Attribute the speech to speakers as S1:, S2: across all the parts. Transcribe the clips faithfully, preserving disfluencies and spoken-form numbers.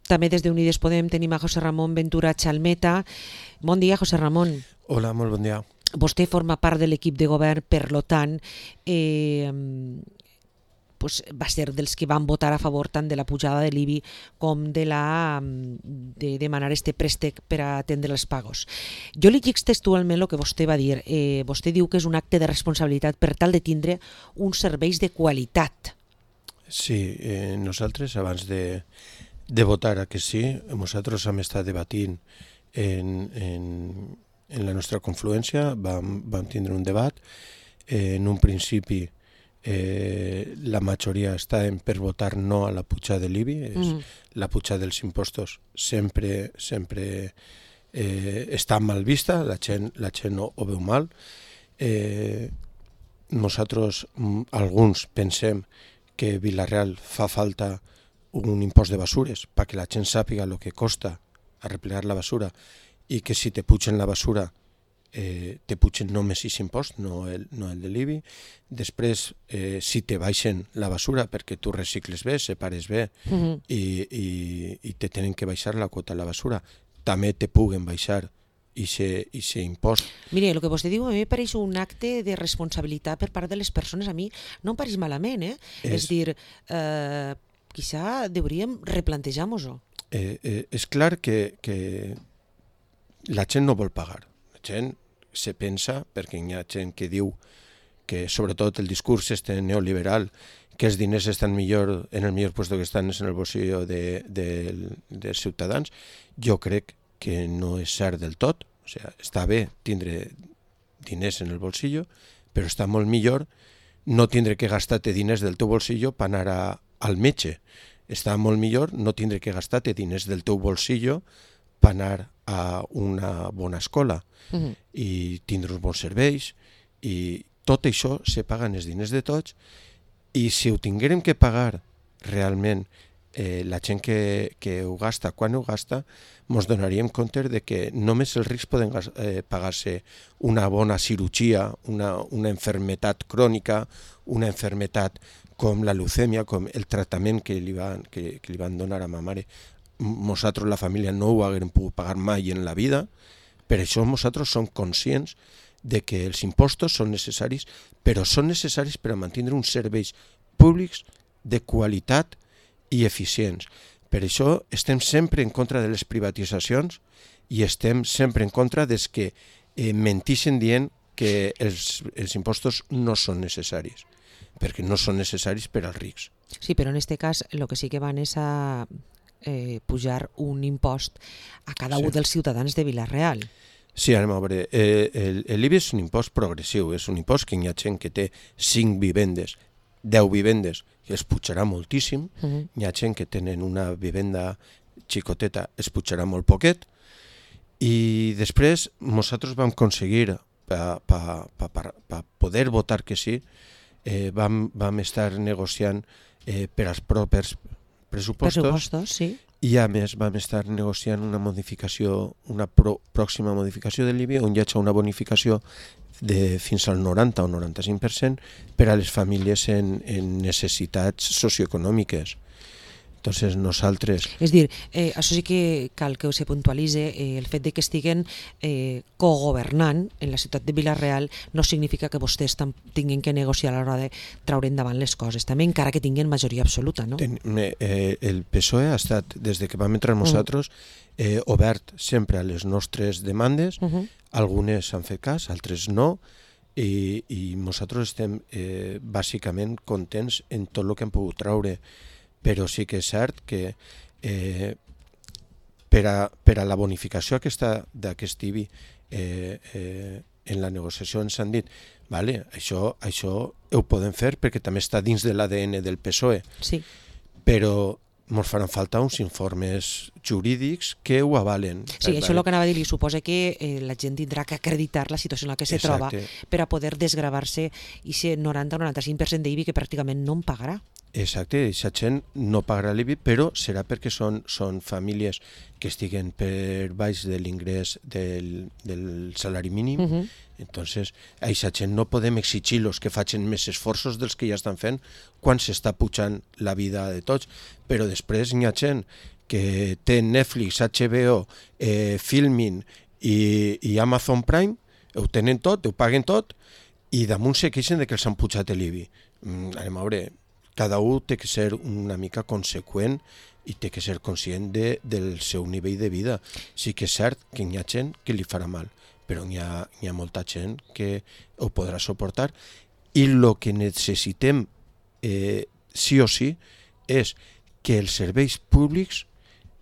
S1: També des d'Unides Podem tenim a José Ramón Ventura Chalmeta. Bon dia, José Ramón.
S2: Hola, molt bon dia.
S1: Vostè forma part de l'equip de govern, per lo tant, eh, pues va ser dels que van votar a favor tant de la pujada de l'I B I com de, la, de demanar este préstec per a atendre els pagos. Jo li dic textualment el que vostè va dir. Eh, vostè diu que és un acte de responsabilitat per tal de tindre uns serveis de qualitat.
S2: Sí, eh, nosaltres abans de, de votar a que sí, nosaltres hem estat debatint en, en, en la nostra confluència, vam, vam tindre un debat. Eh, en un principi eh, la majoria estàvem per votar no a la pujada de l'I B I, mm. la pujada dels impostos sempre, sempre eh, està mal vista, la gent, la gent no ho veu mal. Eh, nosaltres, alguns, pensem que Vila-real fa falta un impost de basures perquè la gent sàpiga el que costa arreplegar la basura i que si te pugen la basura eh, te pugen només aquest impost, no el, no el de l'I B I. Després, eh, si te baixen la basura perquè tu recicles bé, separes bé uh-huh. i, i, i te tenen que baixar la quota a la basura, també te puguen baixar i se impost.
S1: Mire, el que vostè diu a mi pareix un acte de responsabilitat per part de les persones. A mi no em pareix malament, eh? És, és dir, eh, quizá hauríem replantejar-nos-ho.
S2: Eh, eh, és clar que, que la gent no vol pagar. La gent se pensa, perquè hi ha gent que diu que sobretot el discurs este neoliberal, que els diners estan millor en el millor puesto que estan en el bolsillo de, de, dels ciutadans. Jo crec que no és cert del tot, o sigui, està bé tindre diners en el bolsillo, però està molt millor no tindre que gastar-te diners del teu bolsillo per anar a, al metge. Està molt millor no tindre que gastar-te diners del teu bolsillo per anar a una bona escola uh-huh. i tindre uns bons serveis, i tot això se paguen els diners de tots, i si ho tinguérem que pagar realment Eh, la gent que, que ho gasta, quan ho gasta, ens donaríem compte de que només els rics poden eh, pagar-se una bona cirurgia, una, una enfermetat crònica, una enfermetat com la leucèmia, com el tractament que li van, que, que li van donar a ma mare. Nosaltres, la família, no ho haguem pogut pagar mai en la vida. Per això nosaltres som conscients de que els impostos són necessaris, però són necessaris per a mantenir uns serveis públics de qualitat i eficients. Per això estem sempre en contra de les privatitzacions i estem sempre en contra des que eh, mentixen dient que els, els impostos no són necessaris, perquè no són necessaris per als rics.
S1: Sí, però en aquest cas el que sí que van és a eh, pujar un impost a cada sí. un dels ciutadans de Vila-real.
S2: Sí, anem a veure. Eh, el, l'I B I és un impost progressiu, és un impost que hi ha gent que té cinc vivendes, deu vivendes, que es pujarà moltíssim. Uh-huh. Hi ha gent que tenen una vivenda xicoteta, es pujarà molt poquet. I després nosaltres vam aconseguir, per pa, pa, pa, pa poder votar que sí, eh, vam, vam estar negociant eh, per als propers pressupostos,
S1: pressupostos sí.
S2: I a més vam estar negociant una modificació, una pro, pròxima modificació de l'I B I, on hi ha una bonificació de fins al noranta o noranta-cinc per cent per a les famílies en, en necessitats socioeconòmiques. Entonces nosaltres...
S1: És dir, eh, això sí que cal que se puntualitze, eh, el fet de que estiguen eh, cogovernant en la ciutat de Vila-real no significa que vostès tinguin que negociar a l'hora de traure endavant les coses, també encara que tinguin majoria absoluta, no?
S2: Ten, eh, el P S O E ha estat, des de que vam entrar nosaltres, eh, obert sempre a les nostres demandes, uh-huh. Algunes han fet cas, altres no, i, i nosaltres estem eh, bàsicament contents en tot el que hem pogut traure. Però sí que és cert que eh, per, a, per a la bonificació aquesta d'aquest I B I eh, eh, en la negociació ens han dit vale, això, això ho podem fer perquè també està dins de l'A D N del P S O E,
S1: sí.
S2: Però ens faran falta uns informes jurídics que ho avalen.
S1: Sí, això és el que anava a dir, li suposa que eh, la gent tindrà que acreditar la situació en la que se troba per a poder desgravar-se i ser noranta o noranta-cinc per cent d'I B I que pràcticament no en pagarà.
S2: Exacte, aquesta gent no pagarà l'I B I, però serà perquè són, són famílies que estiguen per baix de l'ingrés del, del salari mínim. Uh-huh. Entonces, a aquesta gent no podem exigir-los que facin més esforços dels que ja estan fent quan s'està pujant la vida de tots. Però després hi ha gent que té Netflix, H B O, eh, Filmin i, i Amazon Prime, ho tenen tot, ho paguen tot, i damunt se queixen de que els han pujat l'I B I. Mm, anem a veure, cada un té que ser una mica conseqüent i té que ser conscient de, del seu nivell de vida. Sí que és cert que hi ha gent que li farà mal, però hi ha, hi ha molta gent que ho podrà suportar, i el que necessitem eh, sí o sí és que els serveis públics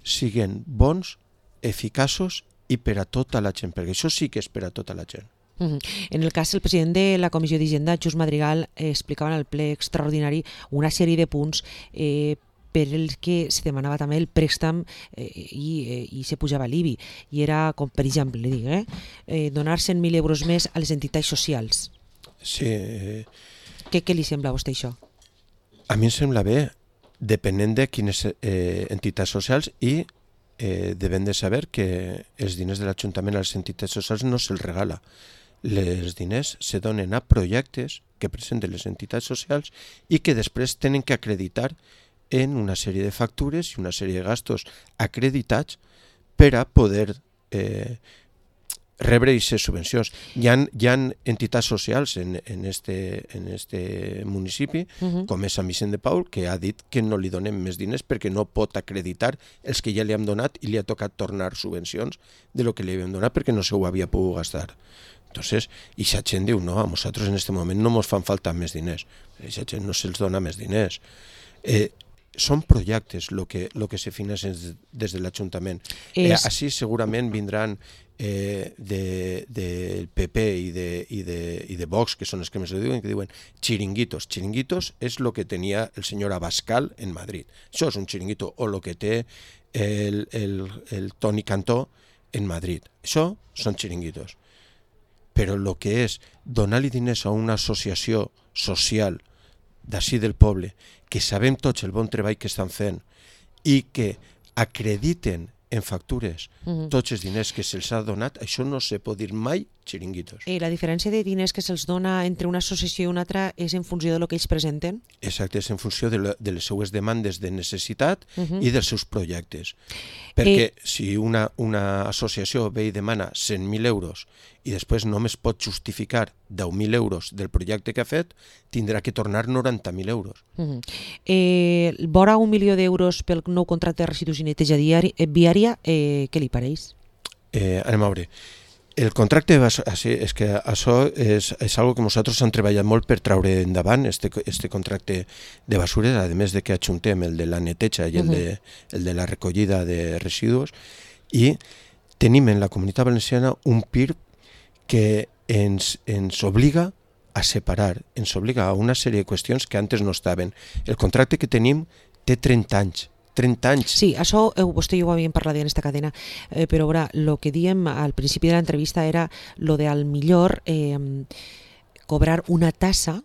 S2: siguin bons, eficaços i per a tota la gent, perquè això sí que és per a tota la gent.
S1: Uh-huh. En el cas, el president de la Comissió d'Hisenda, Just Madrigal, eh, explicava en el ple extraordinari una sèrie de punts eh, per els que se demanava també el préstec eh, i, eh, i se pujava l'I B I. I era, com per exemple, dic, eh, eh, donar cent mil euros més a les entitats socials.
S2: Sí. Eh...
S1: Què, què li sembla a vostè això?
S2: A mi em sembla bé, depenent de quines eh, entitats socials, i eh, devem de saber que els diners de l'Ajuntament a les entitats socials no se'ls regala. Els diners se donen a projectes que presenten les entitats socials i que després tenen que acreditar en una sèrie de factures i una sèrie de gastos acreditats per a poder eh, rebre aquestes subvencions. Hi ha, hi ha entitats socials en, en, este, en este municipi, uh-huh. com és Sant Vicent de Paul, que ha dit que no li donem més diners perquè no pot acreditar els que ja li hem donat i li ha tocat tornar subvencions de lo que li havien donat perquè no se ho havia pogut gastar. Entonces, i la gent diu, no, a nosaltres en aquest moment no ens fan falta més diners. A la gent no se'ls dona més diners. Eh, són projectes el que, lo que se financen des de l'Ajuntament. És... Eh, així segurament vindran eh, del de P P i de, i, de, i de Vox, que són els que més ho diuen, que diuen chiringuitos. Chiringuitos és el que tenia el senyor Abascal en Madrid. Això és un chiringuito, o el que té el, el, el Toni Cantó en Madrid. Això són chiringuitos. Però el que és donar-li diners a una associació social d'ací del poble, que sabem tots el bon treball que estan fent i que acrediten en factures uh-huh. tots els diners que se'ls ha donat, això no se pot dir mai chiringuitos.
S1: I la diferència de diners que se'ls dona entre una associació i una altra és en funció de lo que ells presenten?
S2: Exacte, és en funció de, la, de les seues demandes de necessitat uh-huh. i dels seus projectes. Perquè eh... si una, una associació ve i demana cent mil euros i després només pot justificar deu mil euros del projecte que ha fet, tindrà que tornar noranta mil euros.
S1: Uh-huh. Eh, vora un milió d'euros pel nou contracte de residus i neteja viària, eh, què li pareix?
S2: Eh, anem a veure. El contracte de basura, sí, és que això és, és algo que nosaltres hem treballat molt per traure endavant, este, este contracte de basures, a més de que ajuntem el de la neteja i el, uh-huh. de, el de la recollida de residus, i tenim en la Comunitat Valenciana un P I R que ens, ens obliga a separar, ens obliga a una sèrie de qüestions que antes no estaven. El contracte que tenim té trenta anys. trenta anys.
S1: Sí, això eh, vostè i jo ho havíem parlat en esta cadena, eh, però ara, el que diem al principi de l'entrevista era lo de al millor eh, cobrar una tassa.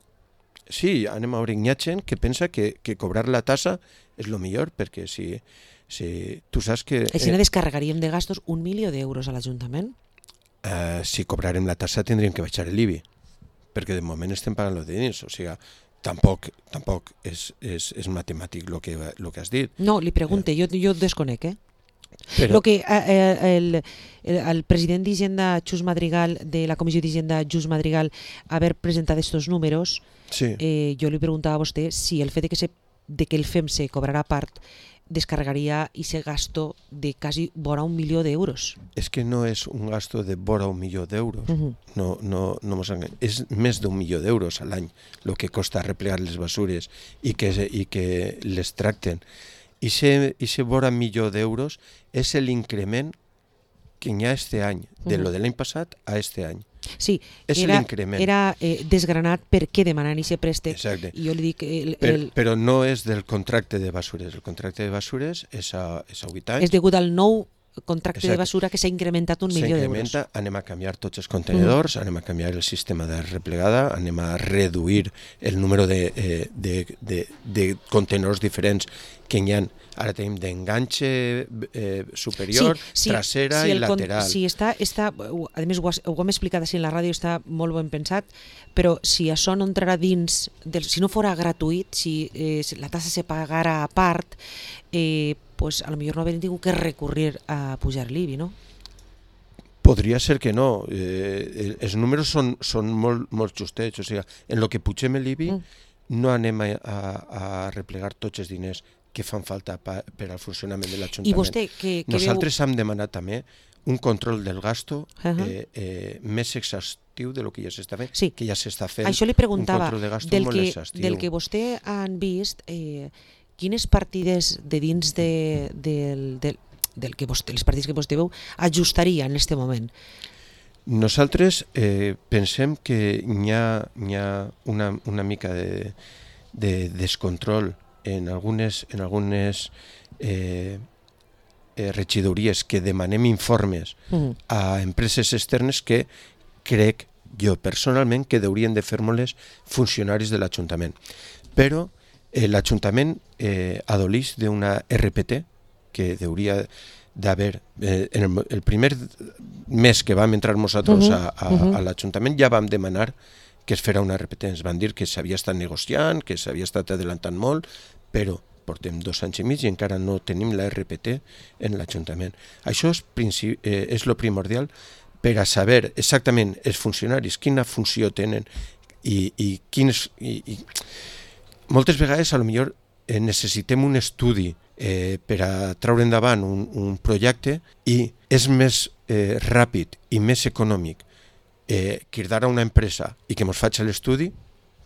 S2: Sí, anem a veure, hi ha gent que pensa que, que cobrar la tassa és el millor, perquè si, si tu saps que...
S1: Així eh, descarregaríem de gastos un milió d'euros a l'Ajuntament?
S2: Eh, si cobrarem la tassa tindríem que baixar l'I B I, perquè de moment estem pagant els diners, o sigui, tampoc, tampoc és, és, és matemàtic el que, lo que has dit.
S1: No, li pregunte, eh. jo, jo desconec, eh?
S2: Però...
S1: Lo que eh, el, el, el president d'Hisenda, Just Madrigal, de la Comissió d'Hisenda, Just Madrigal, haver presentat estos números,
S2: sí.
S1: eh, jo li preguntava a vostè si el fet de que, se, de que el F E M se cobrarà part descarregaria ese gasto de quasi vora un milió d'euros.
S2: És que no és un gasto de vora un milió d'euros. Uh-huh. No, no, no mos enganyem. És més d'un milió d'euros a l'any el que costa replegar les basures i que, i que les tracten. I ese vora milió d'euros és l'increment que hi ha este any, de uh-huh. lo de l'any passat a este any.
S1: Sí,
S2: és
S1: era,
S2: l'increment.
S1: Era eh, desgranat per què demanen aquest préstec.
S2: Exacte.
S1: I jo li dic... El,
S2: per,
S1: el...
S2: Però no és del contracte de basures. El contracte de basures és a, és a vuit anys.
S1: És degut al nou contracte
S2: Exacte.
S1: De basura que s'ha incrementat un milió d'euros.
S2: Anem a canviar tots els contenedors, mm. anem a canviar el sistema de replegada, anem a reduir el número de, eh, de, de, de contenedors diferents que hi ha. Ara tenim d'enganxe eh, superior, sí, sí, trasera sí, i lateral.
S1: Sí, està, està, a més ho, ho hem explicat així en la ràdio, està molt ben pensat, però si això no entrarà dins, del, si no fora gratuït, si eh, la tassa se pagara a part, eh, pues, a lo millor no haver tingut que recurrir a pujar l'I B I, no?
S2: Podria ser que no. Eh, els números són, són molt, molt justets. O sigui, en el que pugem l'I B I mm. no anem a, a, a replegar tots els diners que fan falta pa, per al funcionament de l'Ajuntament.
S1: I vostè, que, que
S2: Nosaltres
S1: veu...
S2: hem demanat també un control del gasto uh -huh. eh, eh, més exhaustiu de lo que ja s'està fent,
S1: sí.
S2: que ja s'està fent.
S1: Això li preguntava,
S2: un control de gasto
S1: del
S2: molt
S1: que,
S2: exhaustiu.
S1: del que vostè han vist, eh, quines partides de dins de, del, del, del que vostè, les partides que vostè veu, ajustaria en aquest moment?
S2: Nosaltres eh, pensem que hi ha, hi ha una, una mica de, de descontrol en algunes, en algunes eh, eh, regidories que demanem informes mm. a empreses externes que crec jo personalment que haurien de fer-me-les funcionaris de l'Ajuntament. Però eh, l'Ajuntament eh, adoleix d'una R P T que hauria d'haver, eh, en el, el primer mes que vam entrar nosaltres uh -huh, a, a, uh -huh. a l'Ajuntament ja vam demanar que es farà una R P T. Ens van dir que s'havia estat negociant, que s'havia estat adelantant molt, però portem dos anys i mig i encara no tenim la R P T en l'Ajuntament. Això és, eh, és lo primordial per a saber exactament els funcionaris quina funció tenen i, i quins... I, i... Moltes vegades, a lo millor, eh, necessitem un estudi eh, per a treure endavant un, un projecte i és més eh, ràpid i més econòmic eh, cridar a una empresa i que ens faci l'estudi,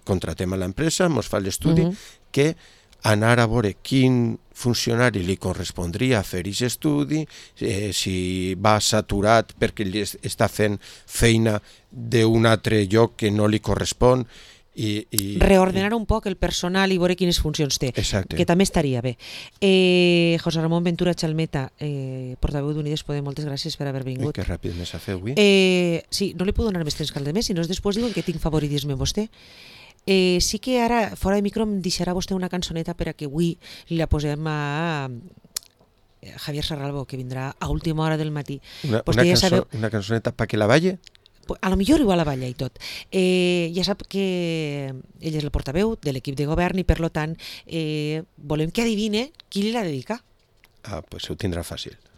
S2: contratem a l'empresa, ens fa l'estudi, uh-huh. que anar a veure quin funcionari li correspondria fer aquest estudi, eh, si va saturat perquè li està fent feina d'un altre lloc que no li correspon. I, i,
S1: reordenar un poc el personal i veure quines funcions té,
S2: exacte.
S1: Que també estaria bé. eh, José Ramón Ventura Chalmeta, eh, portaveu d'Unides Podem, moltes gràcies per haver vingut.
S2: Ui, que ràpid m'ha fet avui.
S1: Eh, sí, no li puc donar més temps que al de més, si no després diuen que tinc favoritisme amb vostè. Eh, sí que ara, fora de micro, em deixarà vostè una cançoneta per a que avui li la posem a Javier Sarralbo, que vindrà a última hora del matí.
S2: Una, una,
S1: ja
S2: cançó,
S1: sabeu...
S2: una cançoneta pa que la balle?
S1: A lo millor igual a la balla i tot. Eh, ja sap que ell és el portaveu de l'equip de govern i per lo tant eh, volem que adivine qui li la dedica.
S2: Ah, pues ho tindrà fàcil.